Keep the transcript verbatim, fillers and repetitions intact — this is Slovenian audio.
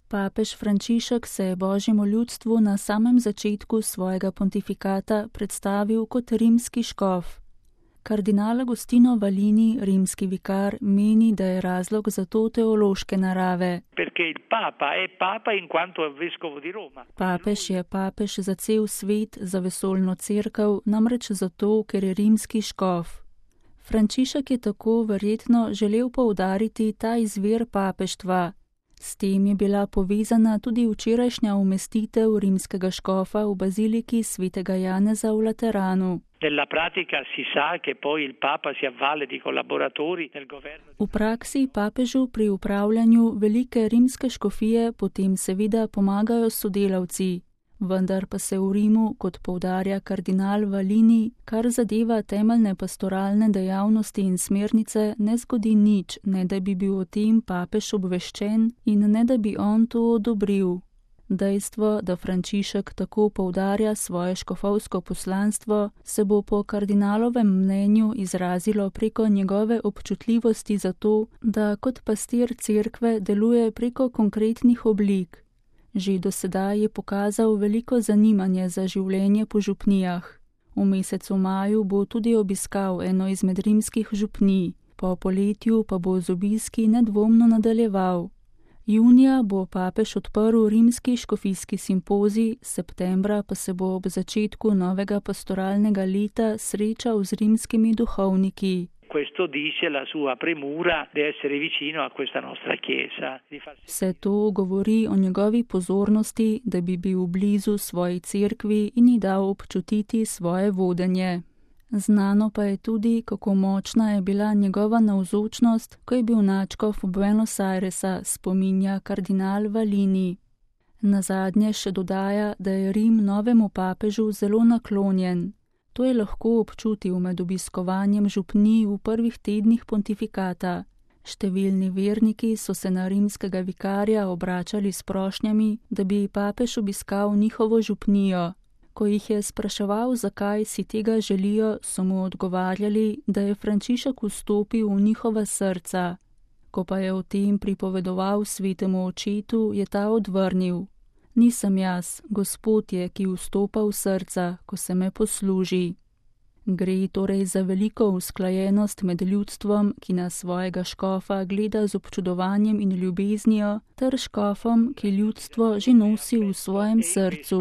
Papež Frančišek se je božjemu ljudstvu na samem začetku svojega pontifikata predstavil kot rimski škof. Kardinal Agostino Valini, rimski vikar, meni, da je razlog za to teološke narave. Papež je papež za cel svet, za vesoljno cerkev, namreč zato, ker je rimski škof. Frančišek je tako verjetno želel poudariti ta izvir papeštva. S tem je bila povezana tudi včerajšnja umestitev rimskega škofa v baziliki svetega Janeza v Lateranu. V praksi papežu pri upravljanju velike rimske škofije potem seveda pomagajo sodelavci, vendar pa se v Rimu, kot poudarja kardinal Valini, kar zadeva temeljne pastoralne dejavnosti in smernice, ne zgodi nič, ne da bi bil o tem papež obveščen in ne da bi on to odobril. Dejstvo, da Frančišek tako poudarja svoje škofovsko poslanstvo, se bo po kardinalovem mnenju izrazilo preko njegove občutljivosti za to, da kot pastir cerkve deluje preko konkretnih oblik. Že do sedaj je pokazal veliko zanimanje za življenje po župnijah. V mesecu maju bo tudi obiskal eno izmed rimskih župnij, po poletju pa bo z obiski nedvomno nadaljeval. Junija bo papež odprl rimski škofijski simpozij, septembra pa se bo ob začetku novega pastoralnega leta srečal z rimskimi duhovniki. Vse to govori o njegovi pozornosti, da bi bil blizu svoji cerkvi in ji dal občutiti svoje vodenje. Znano pa je tudi, kako močna je bila njegova navzočnost, ko je bil nadškof Buenos Airesa, spominja kardinal Valini. Nazadnje še dodaja, da je Rim novemu papežu zelo naklonjen. To je lahko občutil med obiskovanjem župnij v prvih tednih pontifikata. Številni verniki so se na rimskega vikarja obračali s prošnjami, da bi papež obiskal njihovo župnijo. Ko jih je spraševal, zakaj si tega želijo, so mu odgovarjali, da je Frančišek vstopil v njihova srca. Ko pa je o tem pripovedoval svetemu očetu, je ta odvrnil: Nisem jaz, Gospod je, ki vstopa v srca, ko se me posluži. Gre torej za veliko usklajenost med ljudstvom, ki na svojega škofa gleda z občudovanjem in ljubeznijo, ter škofom, ki ljudstvo že nosi v svojem srcu.